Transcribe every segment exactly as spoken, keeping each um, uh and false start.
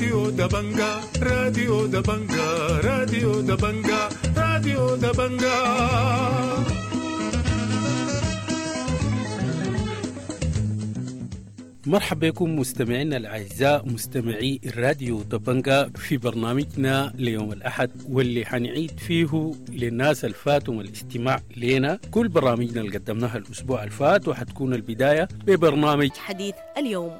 راديو دبنجا راديو دبنجا راديو دبنجا راديو دبنجا. مرحبا بكم مستمعينا الأعزاء مستمعي الراديو دبنجا في برنامجنا ليوم الأحد، واللي حنعيد فيه للناس الفاتهم الاستماع لنا كل برامجنا اللي قدمناها الأسبوع الفات، وحتكون البداية ببرنامج حديث اليوم.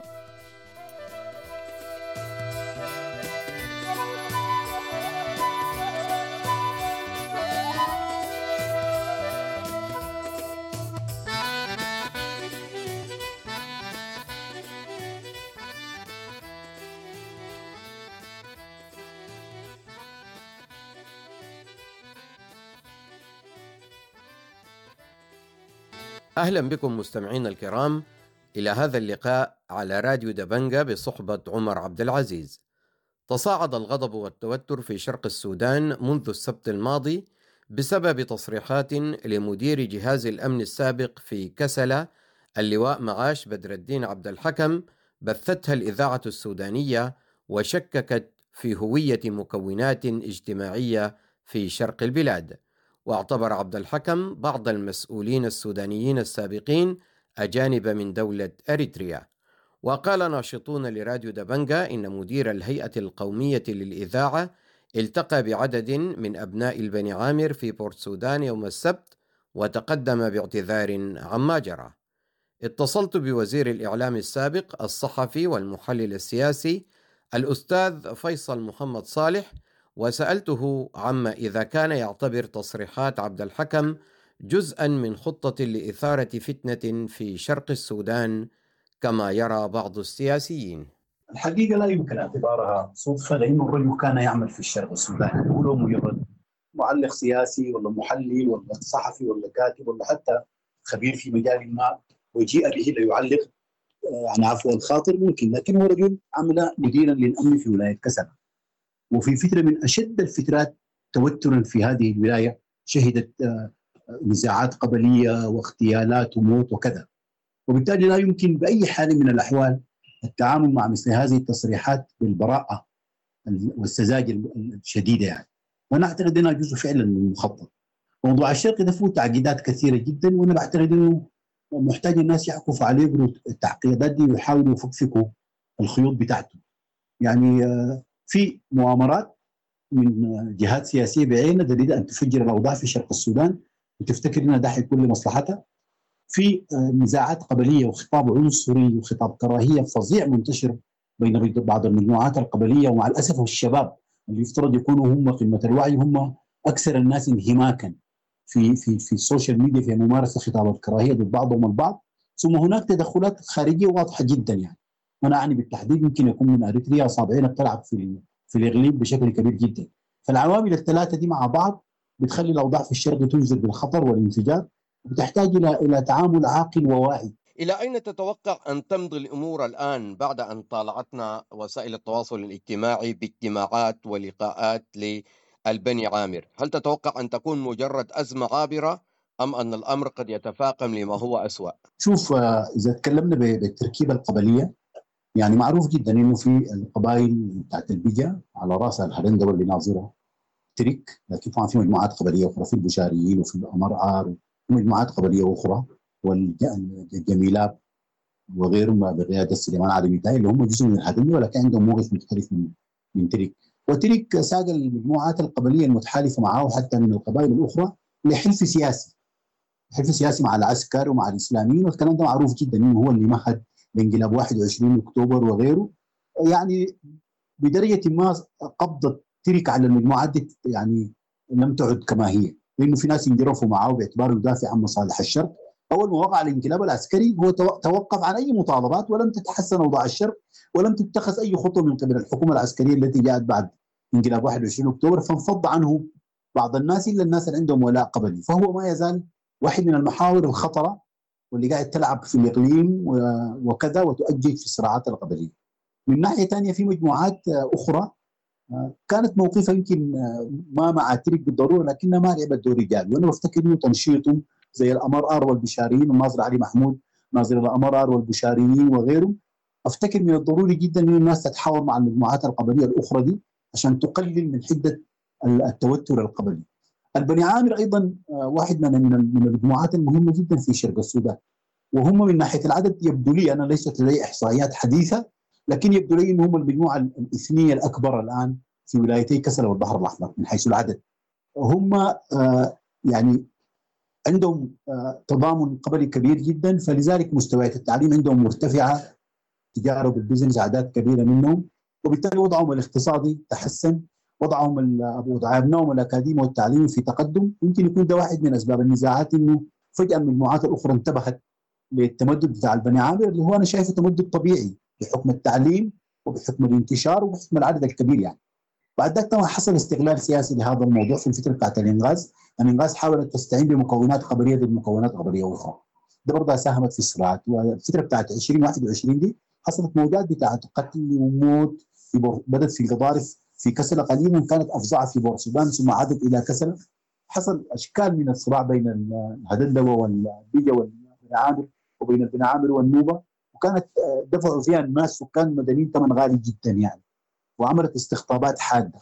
أهلا بكم مستمعينا الكرام إلى هذا اللقاء على راديو دبنجا بصحبة عمر عبد العزيز. تصاعد الغضب والتوتر في شرق السودان منذ السبت الماضي بسبب تصريحات لمدير جهاز الأمن السابق في كسلة اللواء معاش بدر الدين عبد الحكم بثتها الإذاعة السودانية وشككت في هوية مكونات اجتماعية في شرق البلاد. واعتبر عبد الحكم بعض المسؤولين السودانيين السابقين أجانب من دولة أريتريا. وقال ناشطون لراديو دبنجا إن مدير الهيئة القومية للإذاعة التقى بعدد من أبناء البني عامر في بورت سودان يوم السبت وتقدم باعتذار عما جرى. اتصلت بوزير الإعلام السابق الصحفي والمحلل السياسي الأستاذ فيصل محمد صالح وسألته عما إذا كان يعتبر تصريحات عبد الحكم جزءا من خطة لإثارة فتنة في شرق السودان كما يرى بعض السياسيين. الحقيقة لا يمكن اعتبارها صدفة، لأنه الرجل كان يعمل في الشرق السوداني، هو مجرد معلق سياسي ولا محلل ولا صحفي ولا كاتب ولا حتى خبير في مجال ما وجيء به ليعلق عن عفو الخاطر ممكن، لكن هو رجل عمل مديرا للأمن في ولاية كسلا، وفي فترة من أشد الفترات توترا في هذه الولاية شهدت نزاعات قبلية واغتيالات وموت وكذا، وبالتالي لا يمكن بأي حال من الأحوال التعامل مع مثل هذه التصريحات بالبراءة والسذاجة الشديدة يعني. وأنا أعتقد أنها جزء فعلا من المخطط. موضوع الشرق ده فيه تعقيدات كثيرة جدا، وأنا بعتقد أنه محتاج الناس يعكفوا عليه التعقيدات دي ويحاولوا يفكفكوا الخيوط بتاعته. يعني في مؤامرات من جهات سياسية بعينها تريد أن تفجر الأوضاع في شرق السودان وتفتكر أنها ده حيكون لمصلحتها. في نزاعات قبلية وخطاب عنصري وخطاب كراهية فظيع منتشر بين بعض المجموعات القبلية، ومع الأسف الشباب اللي يفترض يكونوا هم قمة الوعي هم أكثر الناس انهماكا في في في ال social media في ممارسة خطاب الكراهية ضد بعضهم البعض. ثم هناك تدخلات خارجية واضحة جدا، يعني أنا أعني بالتحديد يمكن يكون من أريتريا أصابعين بتلعب في في الإقليم بشكل كبير جدا. فالعوامل الثلاثة دي مع بعض بتخلي الأوضاع في الشرق تنزل بالخطر والانفجار، وبتحتاج إلى إلى تعامل عاقل وواعي. إلى أين تتوقع أن تمضي الأمور الآن بعد أن طالعتنا وسائل التواصل الاجتماعي باجتماعات ولقاءات للبني عامر؟ هل تتوقع أن تكون مجرد أزمة عابرة أم أن الأمر قد يتفاقم لما هو أسوأ؟ شوف، إذا تكلمنا بالتركيبة القبلية، يعني معروف جدا انه في القبائل بتاعت البجا على راسها الهرندوه واللي ناظرها ترك، لكن طبعا في مجموعات قبليه اخرى، في البشاريين وفي الامرعار ومجموعات قبليه اخرى والجميلاب وغيرهم بقياده سليمان علي ميتاي اللي هم جزء من الهرندوه، ولكن عندهم موقف مختلف من من ترك. وترك ساق المجموعات القبليه المتحالفه معه حتى من القبائل الاخرى لحلف سياسي، حلف سياسي مع العسكر ومع الاسلاميين، والكلام ده معروف جدا انه هو اللي مهد بانقلاب واحد وعشرين اكتوبر وغيره. يعني بدرجه ما قبضه ترك على المجموعات دي يعني لم تعد كما هي، لانه في ناس انجرفوا معه باعتباره يدافع عن مصالح الشرق. اول ما وقع الانقلاب العسكري هو توقف عن اي مطالبات، ولم تتحسن اوضاع الشرق، ولم تتخذ اي خطوه من قبل الحكومه العسكريه التي جاءت بعد انقلاب واحد وعشرين اكتوبر، فانفض عنه بعض الناس الا الناس اللي عندهم ولاء قبلي. فهو ما يزال واحد من المحاور الخطره واللي قاعد تلعب في الإقليم وكذا وتؤجج في الصراعات القبلية. من ناحية ثانية في مجموعات أخرى كانت موقفها يمكن ما مع ترك بالضرورة، لكنها ما لعبت دور رجال، وأنا بفتكر إنه تنشيطهم زي الأمرار والبشاريين والناظر علي محمود ناظر الأمرار والبشاريين وغيرهم افتكر من الضروري جدا انه الناس تتحاور مع المجموعات القبلية الاخرى دي عشان تقلل من حده التوتر القبلي. البني عامر ايضا واحد من من المجموعات المهمة جدا في شرق السودان، وهم من ناحية العدد يبدو لي، انا ليست لدي احصائيات حديثه، لكن يبدو لي انهم المجموعة الاثنيه الاكبر الان في ولايتي كسلا والبحر الاحمر من حيث العدد. هم يعني عندهم تضامن قبلي كبير جدا، فلذلك مستويات التعليم عندهم مرتفعة، تجارة وال business اعداد كبيرة منهم، وبالتالي وضعهم الاقتصادي تحسن، وضعهم وضع ابنائهم الاكاديمي والتعليمي في تقدم. يمكن يكون ده واحد من اسباب النزاعات، انه فجاة المجموعات الاخرى انتبهت للتمدد بتاع البني عامر، اللي هو انا شايفه تمدد طبيعي بحكم التعليم وبحكم الانتشار وبحكم العدد الكبير يعني. بعد ذلك طبعا حصل استغلال سياسي لهذا الموضوع في الفترة بتاعت الانغاز. الانغاز حاولت تستعين بمكونات قبليه ضد مكونات قبليه اخرى، ده برضه ساهمت في الصراعات. والفترة بتاعت ألفين وواحد وعشرين دي حصلت موجات بتاعت قتل وموت في بور... بدت في القضارف في كسلة قديما، كانت افظع في بورسودان ثم عادت الى كسلة. حصل اشكال من الصراع بين الهدندوه والبيجا والبني عامر وبين البني عامر والنوبه، وكانت دفعوا فيها الناس سكان مدنيين ثمن غالي جدا يعني، وعملت استقطابات حادة.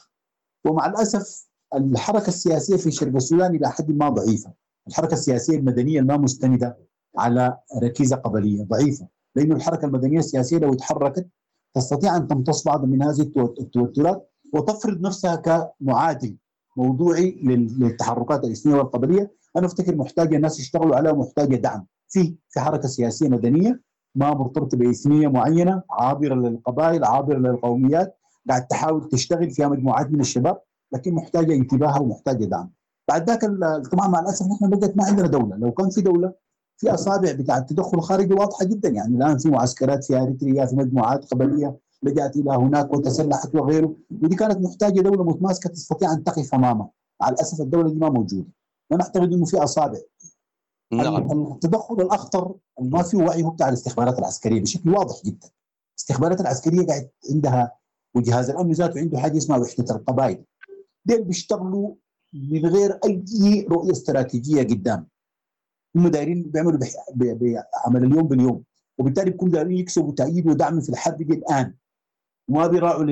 ومع الاسف الحركة السياسية في شرق السودان الى حد ما ضعيفة، الحركة السياسية المدنية الما مستنده على ركيزة قبليه ضعيفة، لانه الحركة المدنية السياسية لو تحركت تستطيع ان تمتص بعض من هذه التوترات وتفرض نفسها كمعادل موضوعي للتحركات الاثنيه والقبليه. انا افتكر محتاجه الناس يشتغلوا عليها، ومحتاجة دعم في في حركة سياسية مدنية ما مرتبطة باثنيه معينة، عابرة للقبائل، عابرة للقوميات، قاعد تحاول تشتغل فيها مجموعات من الشباب، لكن محتاجه انتباهها ومحتاجة دعم. بعد ذاك طبعا مع الاسف نحن بقت ما عندنا دولة. لو كان في دولة في اصابع بتاع التدخل الخارجي واضحة جدا يعني. الان في معسكرات في اريتريا، في مجموعات قبليه لجأت الى هناك وتسلحت وغيره، ودي كانت محتاجه دولة متماسكة تستطيع ان تقف امامها. مع الاسف الدولة دي ما موجودة. انا اعتقد انه في اصابع. نعم. التدخل الاخطر ما في وعي هو بتاع الاستخبارات العسكرية بشكل واضح جدا. الاستخبارات العسكرية قاعد عندها، وجهاز الامن ذاته عنده حاجة اسمها وحده القبائل. دول بيشتغلوا من غير اي رؤية استراتيجية قدام. هم دايرين بيعملوا بعمل اليوم باليوم، وبالتالي بيكونوا دايرين يكسبوا تأييد ودعم في الحرب دي الان، وما بيراعوا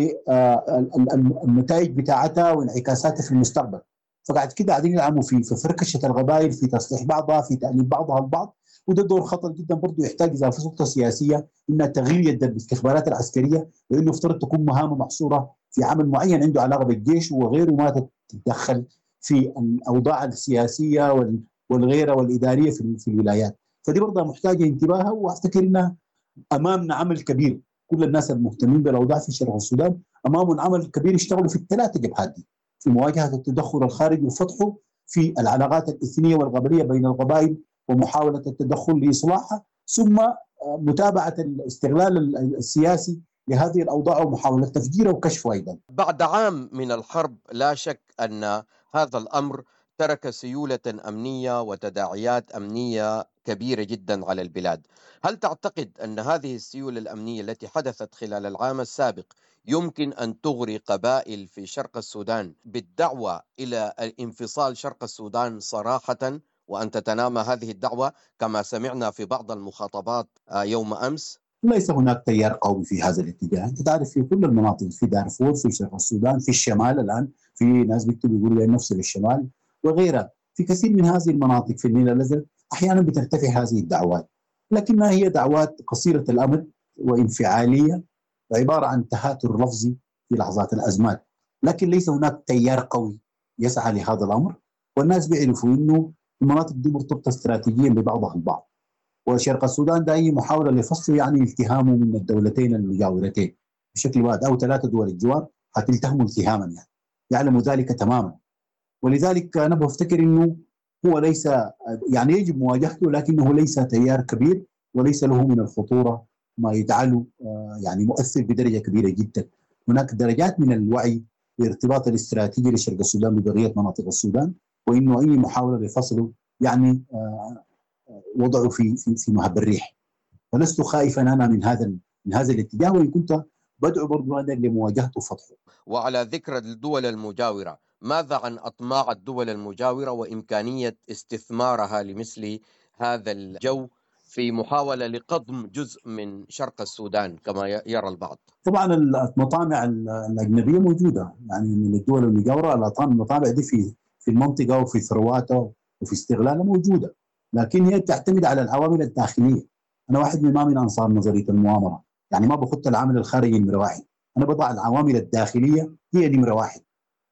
للنتائج بتاعتها وانعكاساتها في المستقبل. فقاعد كده قاعدين يلعبوا في في فركشه القبائل، في تصليح بعضها، في تأليف بعضها البعض، وده دور خطر جدا برضه، يحتاج اذا في سلطة سياسية انها تغيير يد الاستخبارات العسكرية، لانه افترض تكون مهامه محصورة في عمل معين عنده علاقة بالجيش وغيره، ما تتدخل في الاوضاع السياسية والغيرة والادارية في في الولايات. فدي برضه محتاجه انتباهها، وافتكر انها امامنا عمل كبير. كل الناس المهتمين بالاوضاع في شرق السودان امامهم عمل كبير، يشتغلوا في الثلاثة جبهات دي، في مواجهة التدخل الخارجي وفتحه، في العلاقات الاثنيه والقبليه بين القبائل ومحاولة التدخل لاصلاحها، ثم متابعه الاستغلال السياسي لهذه الاوضاع ومحاولة تفجيرها وكشفها ايضا. بعد عام من الحرب لا شك ان هذا الامر ترك سيولة أمنية وتداعيات أمنية كبيرة جدا على البلاد. هل تعتقد أن هذه السيولة الأمنية التي حدثت خلال العام السابق يمكن أن تغري قبائل في شرق السودان بالدعوة إلى انفصال شرق السودان صراحة، وأن تتنامى هذه الدعوة كما سمعنا في بعض المخاطبات يوم أمس؟ ليس هناك تيار قوي في هذا الاتجاه. انت تعرف في كل المناطق، في دارفور، في شرق السودان، في الشمال الآن في ناس بيكتبوا يقولوا نفس للشمال وغيرها، في كثير من هذه المناطق في النيل الأزرق أحيانا بترتفع هذه الدعوات، لكنها هي دعوات قصيرة الأمد وانفعالية، وعبارة عن تهاتر لفظي في لحظات الأزمات، لكن ليس هناك تيار قوي يسعى لهذا الأمر. والناس بيعرفوا أنه المناطق دي مرتبطة استراتيجيا ببعضها البعض، وشرق السودان ده أي محاولة لفصله يعني التهامه من الدولتين المجاورتين بشكل واحد أو ثلاثة دول الجوار حتلتهموا التهاما يعني، يعلموا ذلك تماما. ولذلك أنا بفتكر أنه هو ليس يعني يجب مواجهته، لكنه ليس تيار كبير وليس له من الخطورة ما يجعله يعني مؤثر بدرجة كبيرة جدا. هناك درجات من الوعي بارتباط الاستراتيجي لشرق السودان ببقية مناطق السودان، وإنه أي محاولة لفصله يعني وضعه في في في مهب الريح. فلست خائفا أنا من هذا من هذا الاتجاه، وإن كنت بدعو برضو أنا لمواجهته وفتحه. وعلى ذكر الدول المجاورة، ماذا عن أطماع الدول المجاورة وإمكانية استثمارها لمثل هذا الجو في محاولة لقضم جزء من شرق السودان كما يرى البعض؟ طبعا المطامع الأجنبية موجودة، يعني من الدول المجاورة المطامع دي في في المنطقة وفي ثرواتها وفي استغلالها موجودة، لكن هي تعتمد على العوامل الداخلية. أنا واحد من ما من أنصار نظرية المؤامرة، يعني ما بخط العامل الخارجي نمرة واحد، أنا بضع العوامل الداخلية هي نمرة واحد،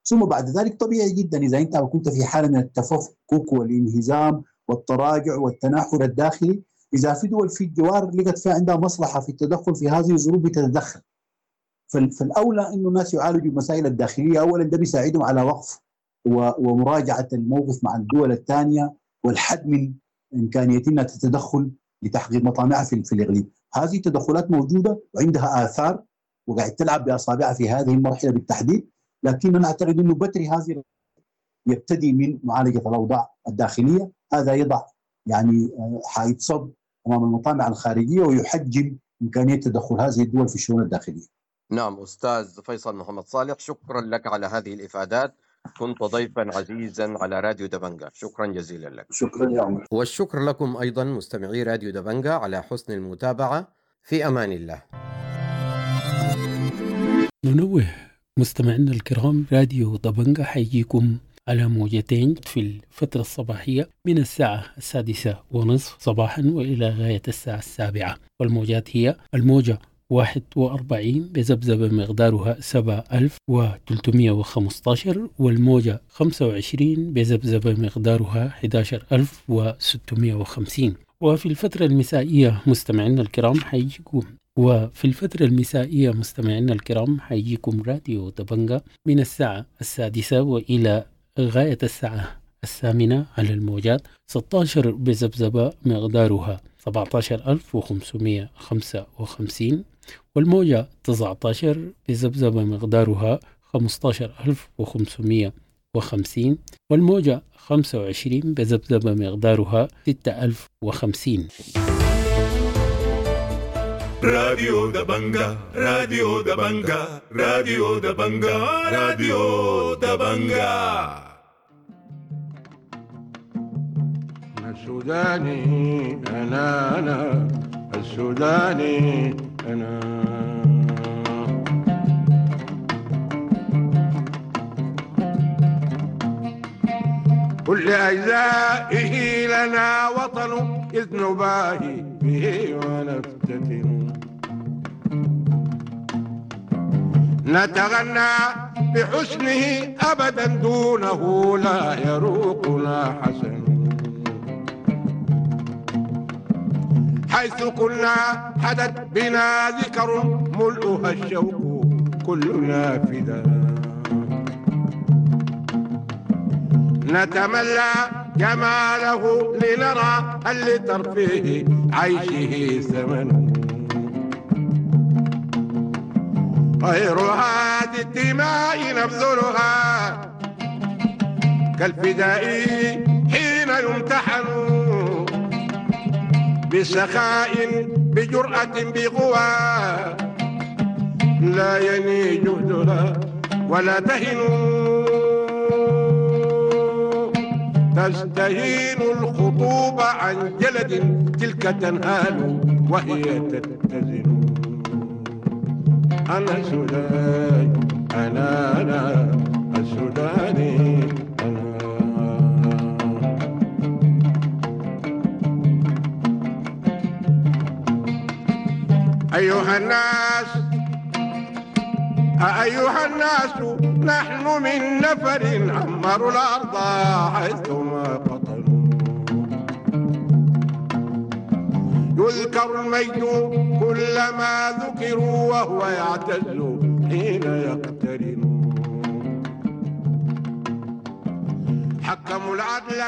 ثم بعد ذلك طبيعي جدا إذا أنت كنت في حالة من التفكك والانهزام والتراجع والتناحر الداخلي، إذا في دول في الجوار لقت فيها عندها مصلحة في التدخل في هذه الظروف بتتدخل. فالأولى إنه الناس يعالجوا المسائل الداخلية أولا، ده بيساعدهم على وقف ومراجعة الموقف مع الدول الثانية والحد من إمكانية أنها تتدخل لتحقيق مطامعها في, في الإقليم. هذه التدخلات موجودة وعندها آثار وقاعد تلعب بأصابعها في هذه المرحلة بالتحديد، لكن أنا أعتقد أنه بتري هذه يبتدي من معالجة الأوضاع الداخلية. هذا يضع يعني حائط صد أمام المطامع الخارجية ويحجم إمكانية تدخل هذه الدول في الشؤون الداخلية. نعم أستاذ فيصل محمد صالح، شكرا لك على هذه الإفادات، كنت ضيفا عزيزا على راديو دبنجا، شكرا جزيلا لك. شكرا يا عمر. والشكر لكم أيضا مستمعي راديو دبنجا على حسن المتابعة، في أمان الله. ننوه مستمعينا الكرام، راديو دبنجا حيجيكم على موجتين في الفترة الصباحية من الساعة السادسة ونصف صباحا وإلى غاية الساعة السابعة، والموجات هي الموجة واحد وأربعين بذبذبة مقدارها سبعة ألف وثلاثمائة وخمسة، والموجة خمسة وعشرين بذبذبة مقدارها أحد عشر ألف وستمائة وخمسين. وفي الفترة المسائية مستمعينا الكرام حيجيكم وفي الفترة المسائية مستمعينا الكرام حيجيكم راديو دبنجا من الساعة السادسة وإلى غاية الساعة الثامنة على الموجات ستة عشر بذبذبة مقدارها سبعة عشر ألف وخمسمائة وخمسة وخمسين، والموجة تسعة عشر بذبذبة مقدارها خمسة عشر ألف وخمسمائة وخمسين، والموجة خمسة وعشرين بذبذبة مقدارها ستة ألف وخمسين. راديو دبنجا، راديو دبنجا، راديو دبنجا، راديو دبنجا. السوداني أنا، أنا السوداني أنا. كل أجزائه لنا وطن إذ نباهي به ونفتتن، نتغنى بحسنه أبدا دونه لا يروقنا حسن، حيث كنا حدت بنا ذكر ملؤها الشوق كلنا فدا، نتملى جماله لنرى هل لترفيه عيشه ثمن، غير هذه الدماء نبذلها كالفداء حين يمتحن، بسخاء بجرأة بقوى لا يني جهدها ولا تهن، تستهين الخطوب عن جلد تلك تنهال وهي تتزن. أنا السوداني، أنا أنا السوداني أنا. أيها الناس، أيها الناس، نحن من نفر عمروا الأرض حيثما قطنوا، يذكر المجد كلما ذكروا وهو يعتز حين يقترن، حكموا العدل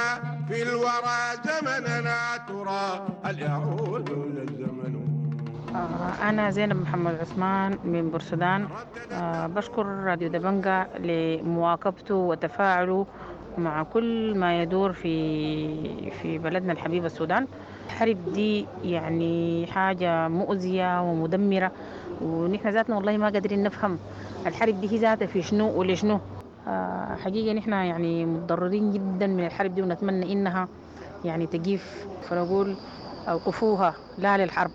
في الورى زمننا ترى هل يعود للزمن. أنا زينب محمد عثمان من بورسودان. بشكر راديو دبنجا لمواكبته وتفاعله مع كل ما يدور في في بلدنا الحبيب السودان. الحرب دي يعني حاجة مؤذية ومدمرة، ونحن ذاتنا والله ما قادرين نفهم الحرب دي هي ذاتها في شنو ولشنو. حقيقة نحن يعني متضررين جدا من الحرب دي، ونتمنى إنها يعني تقيف. فنقول أوقفوها، لا للحرب.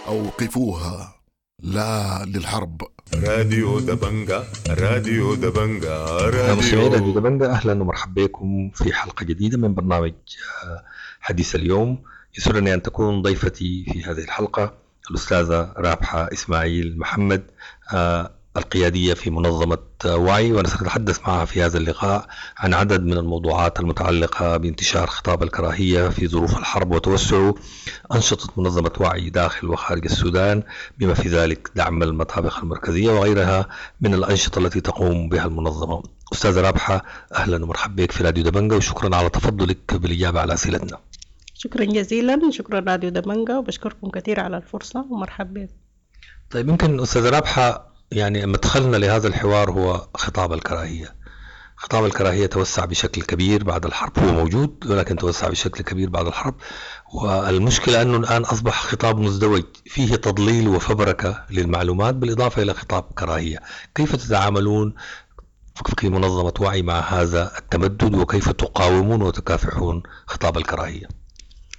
أوقفوها، لا للحرب. راديو دبنجا، راديو دبنجا، راديو راديو دبنجا. أهلا ومرحبا بكم في حلقة جديدة من برنامج حديث اليوم. يسرني أن تكون ضيفتي في هذه الحلقة الأستاذة رابحة إسماعيل محمد، القيادية في منظمة وعي، ونتحدث معها في هذا اللقاء عن عدد من الموضوعات المتعلقة بانتشار خطاب الكراهية في ظروف الحرب وتوسعه، أنشطة منظمة وعي داخل وخارج السودان بما في ذلك دعم المطابخ المركزية وغيرها من الأنشطة التي تقوم بها المنظمة. أستاذة رابحة، أهلا ومرحبا بك في راديو دبنجا، وشكرا على تفضلك بالإجابة على أسئلتنا. شكرا جزيلا، شكرا راديو دبنجا، وبشكركم كثير على الفرصة ومرحبا بك. طيب، يمكن أستاذة رابحة، يعني مدخلنا لهذا الحوار هو خطاب الكراهية. خطاب الكراهية توسع بشكل كبير بعد الحرب، هو موجود ولكن توسع بشكل كبير بعد الحرب، والمشكلة أنه الآن أصبح خطاب مزدوج فيه تضليل وفبركة للمعلومات بالإضافة إلى خطاب كراهية. كيف تتعاملون في منظمة وعي مع هذا التمدد، وكيف تقاومون وتكافحون خطاب الكراهية؟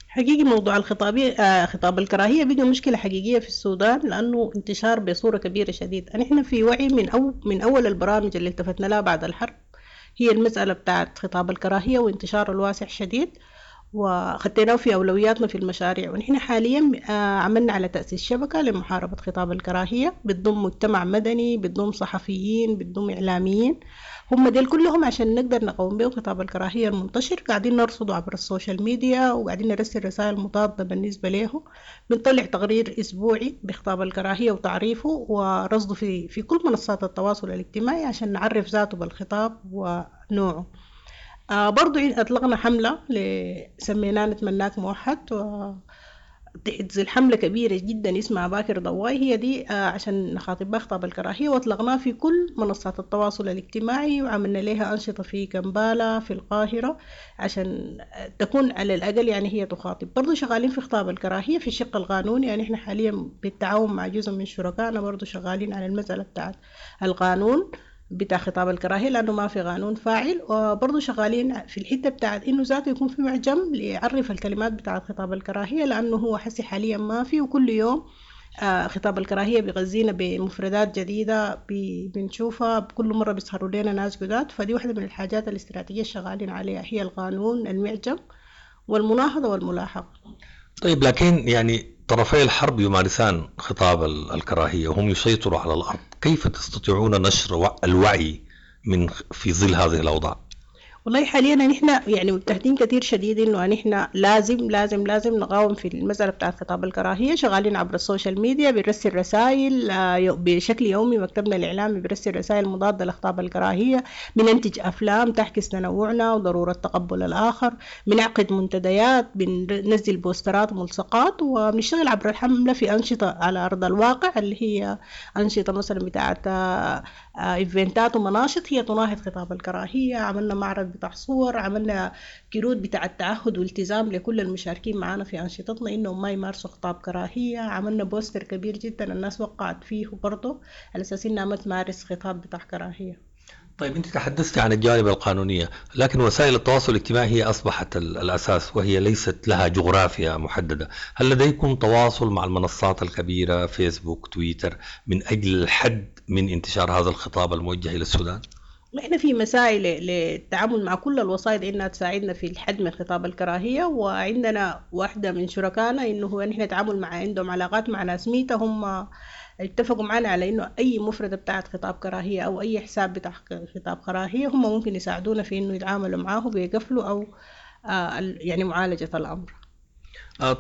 حقيقي موضوع الخطابية آه خطاب الكراهية بقى مشكلة حقيقية في السودان، لأنه انتشار بصورة كبيرة شديد. نحن في وعي من أو من أول البرامج اللي التفتنا لها بعد الحرب هي المسألة بتاعت خطاب الكراهية وانتشاره الواسع شديد، وخديناه في أولوياتنا في المشاريع. ونحن حاليا آه عملنا على تأسيس شبكة لمحاربة خطاب الكراهية، بتضم مجتمع مدني، بتضم صحفيين، بتضم إعلاميين، هم ديل كلهم عشان نقدر نقوم بهم خطاب الكراهية المنتشر. قاعدين نرصده عبر ال social media، وقاعدين نرسل رسائل مضادة بالنسبة له. بنطلع تقرير أسبوعي بخطاب الكراهية وتعريفه ورصده في في كل منصات التواصل الاجتماعي عشان نعرف ذاته بالخطاب ونوعه. آه برضو أطلقنا حملة سميناها نتمناك موحد، و تحت الحملة كبيرة جدا اسمها باكر ضواي، هي دي آه عشان نخاطب بها خطاب الكراهية، واطلقناها في كل منصات التواصل الاجتماعي، وعملنا لها أنشطة في كمبالا في القاهرة عشان تكون على الأقل يعني هي تخاطب. برضو شغالين في خطاب الكراهية في الشق القانوني، يعني احنا حاليا بالتعاون مع جزء من شركائنا برضو شغالين على المسألة بتاعت القانون بتاع خطاب الكراهية، لأنه ما في قانون فاعل. وبرضه شغالين في الحتة بتاعت إنه ذاته يكون في معجم ليعرف الكلمات بتاعت خطاب الكراهية، لأنه هو حسي حاليا ما في، وكل يوم آه خطاب الكراهية بيغذينا بمفردات جديدة بنشوفها، بكل مرة بيظهروا لنا ناس جداد. فدي واحدة من الحاجات الاستراتيجية الشغالين عليها، هي القانون، المعجم، والمناهضة والملاحقة. طيب، لكن يعني طرفي الحرب يمارسان خطاب الكراهية وهم يسيطروا على الأرض، كيف تستطيعون نشر الوعي من في ظل هذه الأوضاع؟ والله حاليا نحن يعني مجتهدين كثير شديد انه نحن لازم لازم لازم نقاوم في المسألة بتاعت خطاب الكراهية. شغالين عبر ال social media، بنرسل رسائل بشكل يومي، مكتبنا الإعلامي بيرسل رسائل مضادة لخطاب الكراهية، بننتج أفلام تحكي تنوعنا وضرورة تقبل الآخر، بنعقد منتديات، بننزل بوسترات وملصقات، وبنشتغل عبر الحملة في أنشطة على أرض الواقع اللي هي أنشطة مثلا بتاعت إيفنتات ومناشط هي تناهض خطاب الكراهية. عملنا معرض بتاع صور، عملنا كروت بتاع التعهد والتزام لكل المشاركين معانا في أنشطتنا إنهم ما يمارسوا خطاب كراهية. عملنا بوستر كبير جدا الناس وقعت فيه برضه على أساس إنها ما تمارس خطاب بتاع كراهية. طيب، أنت تحدثت عن الجانب القانونية، لكن وسائل التواصل الاجتماعي هي أصبحت الأساس وهي ليست لها جغرافيا محددة. هل لديكم تواصل مع المنصات الكبيرة فيسبوك، تويتر، من أجل الحد من انتشار هذا الخطاب الموجه إلى السودان؟ احنا في مسائل للتعامل مع كل الوسائط انها تساعدنا في الحد من خطاب الكراهية، وعندنا واحدة من شركائنا انه هو نحن نتعامل مع عندهم علاقات مع ناس ميتا، هم اتفقوا معنا على انه اي مفردة بتاعت خطاب كراهية او اي حساب بتاع خطاب كراهية هم ممكن يساعدونا في انه يتعاملوا معاه بيقفلوا او يعني معالجة الامر.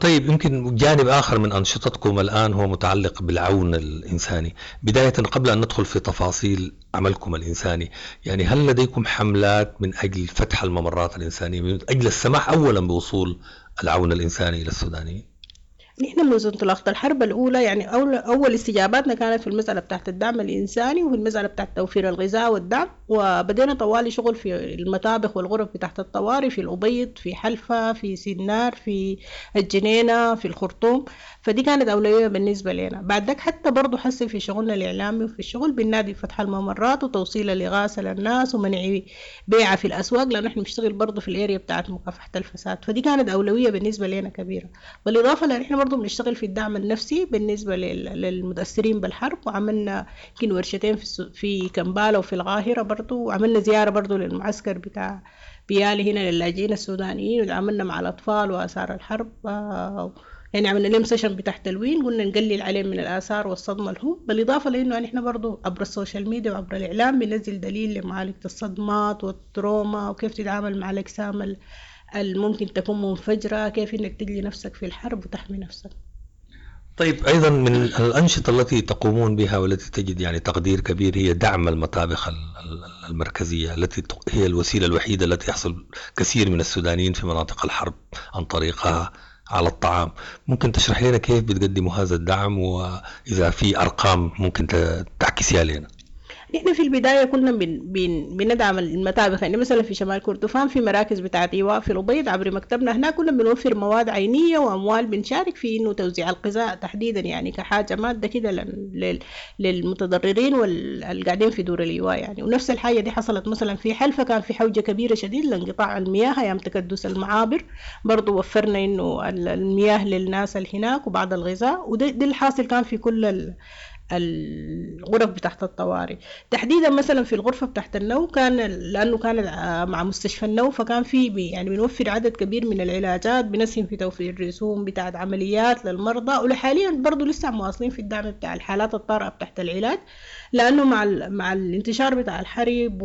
طيب، يمكن جانب آخر من أنشطتكم الآن هو متعلق بالعون الإنساني. بداية قبل أن ندخل في تفاصيل عملكم الإنساني، يعني هل لديكم حملات من أجل فتح الممرات الإنسانية، من أجل السماح أولا بوصول العون الإنساني إلى السودانيين؟ نحن منذ انطلاقة الحرب الأولى يعني أول, أول استجاباتنا كانت في المسألة بتاعت الدعم الإنساني وفي المسألة بتاعت توفير الغذاء والدعم، وبدينا طوالي شغل في المطابخ والغرف بتاعت الطوارئ في الأبيض، في حلفة، في سنار، في الجنينة، في الخرطوم. فدي كانت أولوية بالنسبة لنا. بعد ذاك حتى برضو حسن في شغلنا الإعلامي وفي الشغل بالنادي فتح الممرات وتوصيل الإغاثة للناس ومنع بيعها في الأسواق، لأنه إحنا بنشتغل برضو في الاريا بتاعت مكافحة الفساد. فدي كانت أولوية بالنسبة لنا كبيرة. بالإضافة لأن إحنا برضو بنشتغل في الدعم النفسي بالنسبة للمتأثرين بالحرب، وعملنا يمكن ورشتين في في كمبالا وفي القاهرة برضو، وعملنا زيارة برضو للمعسكر بتاع بيالي هنا للاجئين السودانيين، وعملنا مع الأطفال وآثار الحرب، يعني عملنا لهم session بتاع تلوين قلنا نقلل عليهم من الآثار والصدمة لهم. بالإضافة لأنه نحن برضو عبر ال social media وعبر الإعلام بننزل دليل لمعالجة الصدمات وال trauma وكيف تتعامل مع الأجسام الممكن تكون منفجرة، كيف إنك تجلي نفسك في الحرب وتحمي نفسك. طيب أيضا من الأنشطة التي تقومون بها والتي تجد يعني تقدير كبير هي دعم المطابخ المركزية التي هي الوسيلة الوحيدة التي يحصل كثير من السودانيين في مناطق الحرب عن طريقها على الطعام. ممكن تشرح لنا كيف بتقدموا هذا الدعم، وإذا في أرقام ممكن تعكسيها لنا؟ نحن في البداية كنا بن بن بندعم المطابخ، يعني مثلا في شمال كردفان في مراكز بتاعت إيواء في الأبيض عبر مكتبنا هناك كنا بنوفر مواد عينية وأموال، بنشارك في إنه توزيع الغذاء تحديدا يعني كحاجة مادة كده للمتضررين والقاعدين في دور الإيواء يعني. ونفس الحاجة دي حصلت مثلا في حلفة، كان في حوجة كبيرة شديد لانقطاع المياه أيام تكدس المعابر، برضو وفرنا إنه المياه للناس اللي هناك وبعض الغذاء، وده ده الحاصل كان في كل ال الغرف بتاعت الطوارئ. تحديدا مثلا في الغرفة بتاعت النو كان لأنه كان مع مستشفى النو، فكان في يعني بنوفر عدد كبير من العلاجات، بنسهم في توفير رسوم بتاعت عمليات للمرضى، ولحاليا برضو لسه مواصلين في الدعم بتاع الحالات الطارئة بتاعت العلاج، لأنه مع مع الانتشار بتاع الحرب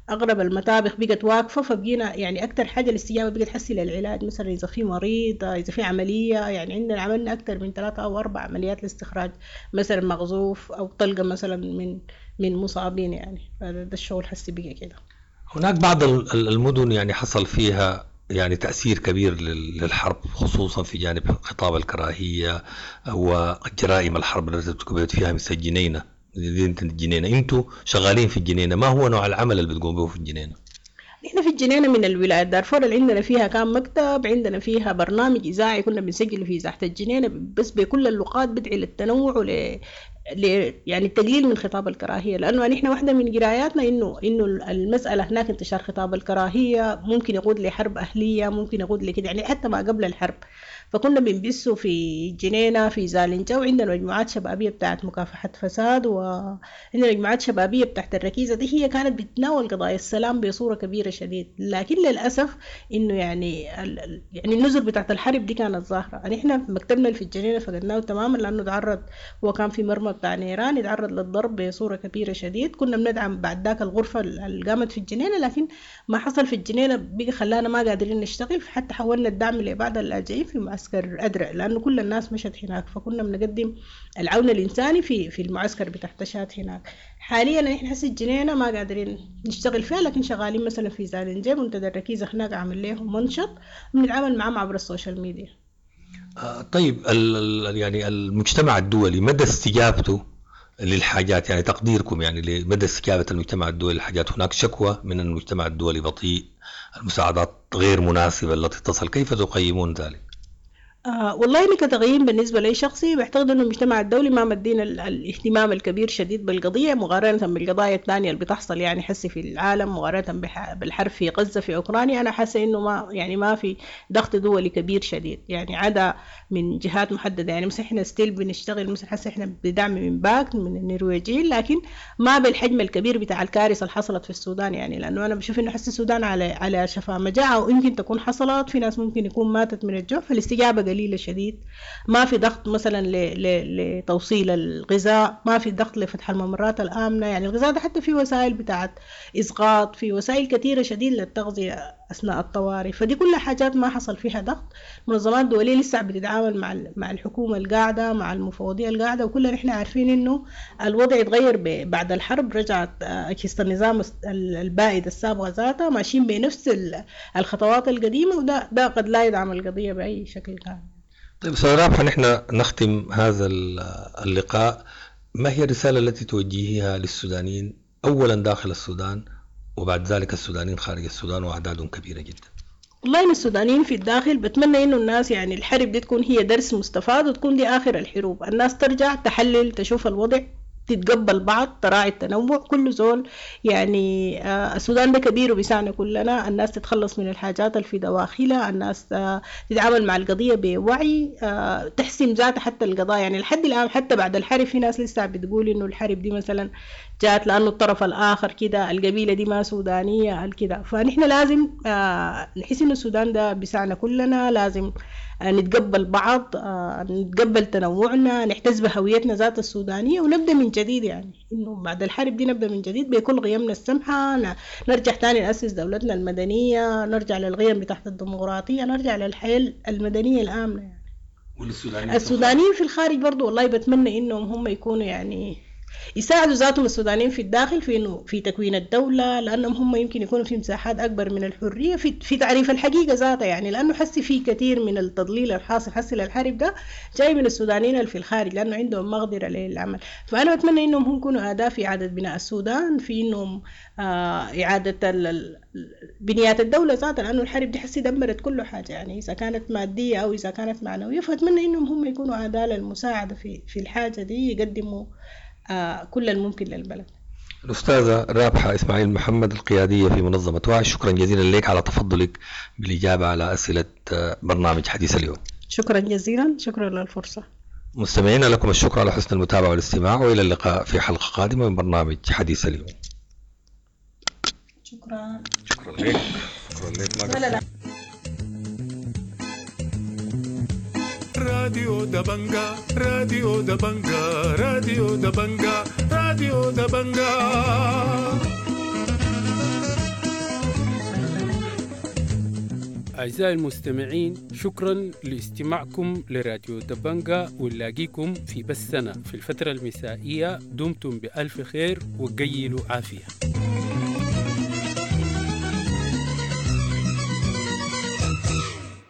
وأغلب المطابخ بقت واقفة، فبقينا يعني أكتر حاجة الاستجابة بقت حسي للعلاج، مثلا إذا في مريض، إذا في عملية، يعني عندنا عملنا أكتر من ثلاثة أو أربع عمليات لاستخراج مثلا مغزوف أو طلقة مثلا من من مصابين يعني. فده الشغل حسي بقى كده. هناك بعض المدن يعني حصل فيها يعني تأثير كبير للحرب، خصوصا في جانب خطاب الكراهية وجرائم الحرب التي ارتكبت فيها مثل الجنينة، مدينة الجنينة. انتوا شغالين في الجنينة، ما هو نوع العمل اللي بتقوم به في الجنينة؟ نحن في الجنينة من الولايات دارفور اللي عندنا فيها كان مكتب، عندنا فيها برنامج إذاعي كنا بنسجله في إذاعة الجنينة بس بكل اللغات، بدعي للتنوع ول ل... يعني التقليل من خطاب الكراهية، لأنه نحن واحدة من قراياتنا إنه إنه المسألة هناك انتشار خطاب الكراهية ممكن يقود لحرب أهلية، ممكن يقود لكده يعني حتى ما قبل الحرب. فكنا بنبثه في الجنينة في زالنجا، وعندنا مجموعات شبابية بتاعت مكافحة فساد، وعندنا مجموعات شبابية بتاعت الركيزة دي هي كانت بتناول قضايا السلام بصورة كبيرة شديد. لكن للأسف إنه يعني ال... يعني النزل بتاعت الحرب دي كانت ظاهرة. يعني إحنا في مكتبنا في الجنينة فقدناه تماما، لأنه تعرض، هو كان في مرمى بتاع نيران، يتعرض للضرب بصورة كبيرة شديد. كنا بندعم بعد ذاك الغرفة اللي قامت في الجنينة، لكن ما حصل في الجنينة بقى خلانا ما قادرين نشتغل، فحتى حولنا الدعم لبعض اللاجئين في معسكر أدرع لأنه كل الناس مشت هناك، فكنا بنقدم العون الإنساني في في المعسكر بتاع تشاد هناك. حاليا نحن حس الجنينة ما قادرين نشتغل فيها، لكن شغالين مثلا في زالنجي منتدى الركيزة هناك عامل لهم منشط بنتعامل معهم عبر ال social media. طيب ال يعني المجتمع الدولي مدى استجابته للحاجات، يعني تقديركم يعني لمدى استجابة المجتمع الدولي للحاجات؟ هناك شكوى من المجتمع الدولي بطيء، المساعدات غير مناسبة التي تصل، كيف تقيمون ذلك؟ آه والله أنا كتقييم بالنسبة لي شخصي بعتقد أنه المجتمع الدولي ما مدينا الاهتمام الكبير شديد بالقضية مقارنة بالقضايا الثانية اللي بتحصل يعني حسي في العالم، مقارنة بالحرب في غزة في أوكرانيا. أنا حاسة أنه ما يعني ما في ضغط دولي كبير شديد يعني عدا من جهات محددة. يعني مثلا إحنا still بنشتغل مثلا حاسة إحنا بدعم من باك من النرويجيين، لكن ما بالحجم الكبير بتاع الكارثة اللي حصلت في السودان يعني، لأنه أنا بشوف أنه حس السودان على على شفا مجاعة ويمكن تكون حصلت في ناس ممكن يكون ماتت من الجوع، فالاستجابة قليلة شديد. ما في ضغط مثلا لتوصيل الغذاء، ما في ضغط لفتح الممرات الآمنة. يعني الغذاء ده حتى في وسائل بتاعت إسقاط، في وسائل كثيرة شديد للتغذية أثناء الطوارئ، فدي كلها حاجات ما حصل فيها ضغط. منظمات دولية لسه بتتعامل مع مع الحكومة القاعدة، مع المفوضية القاعدة، وكلنا نحن عارفين إنه الوضع يتغير بعد الحرب. رجعت أجهزة النظام البائد السابقة ذاتها ماشيين بنفس الخطوات القديمة، وده ده قد لا يدعم القضية بأي شكل كان. طيب أستاذ رابحة، نحن نختم هذا اللقاء، ما هي الرسالة التي توجهيها للسودانيين أولا داخل السودان وبعد ذلك السودانيين خارج السودان وأعداد كبيرة جدا؟ والله إن السودانيين في الداخل بتمنى إنه الناس يعني الحرب دي تكون هي درس مستفاد وتكون دي آخر الحروب، الناس ترجع تحلل تشوف الوضع، تتقبل بعض، تراعي التنوع، كل زول يعني آه السودان ده كبير وبيسعنا كلنا، الناس تتخلص من الحاجات اللي في دواخلها، الناس آه تتعامل مع القضية بوعي، آه تحسم ذاتها حتى القضايا. يعني لحد الآن حتى بعد الحرب في ناس لسه بتقول إنه الحرب دي مثلا جات لأنه الطرف الآخر كده، القبيلة دي ما سودانية كده. فنحن لازم آه نحس إنه السودان ده بيسعنا كلنا، لازم نتقبل بعض، نتقبل تنوعنا، نحتز بهويتنا ذات السودانية ونبدأ من جديد. يعني إنه بعد الحرب دي نبدأ من جديد بكل قيمنا السمحة، نرجع تاني نأسس دولتنا المدنية، نرجع للقيم بتاعت الديمقراطية، نرجع للحياة المدنية الآمنة. يعني والسودانيين السودانيين في الخارج برضو والله بتمنى إنهم هم يكونوا يعني يساعدوا ذاتهم السودانيين في الداخل في انه في تكوين الدولة، لانهم هم يمكن يكونوا في مساحات اكبر من الحرية في في تعريف الحقيقة ذاتها. يعني لانه حسي في كثير من التضليل الحاصل حسي للحرب ده جاي من السودانيين اللي في الخارج، لانه عندهم مقدره للعمل. فانا بتمنى انهم هم يكونوا اداه في اعاده بناء السودان، في انهم آه اعاده بنيات الدولة ذاتها، لانه الحرب دي حسي دمرت كل حاجة، يعني اذا كانت مادية او اذا كانت معنوية. فاتمنى انهم هم يكونوا اداه للمساعدة في في الحاجة دي، يقدموا آه كل الممكن للبلد. الأستاذة رابحة إسماعيل محمد القيادية في منظمة وعي، شكرا جزيلا لك على تفضلك بالإجابة على أسئلة برنامج حديث اليوم. شكرا جزيلا، شكرا للفرصة. مستمعينا لكم الشكر على حسن المتابعة والاستماع، وإلى اللقاء في حلقة قادمة من برنامج حديث اليوم. شكرا. شكرا لك. شكرا لك. لا لا. راديو دبنجا، راديو دبنجا، راديو دبنجا، راديو دبنجا. أعزائي المستمعين، شكرا لاستماعكم لراديو دبنجا، ونلاقيكم في بثنا في الفترة المسائية. دمتم بألف خير وقيلوا عافية.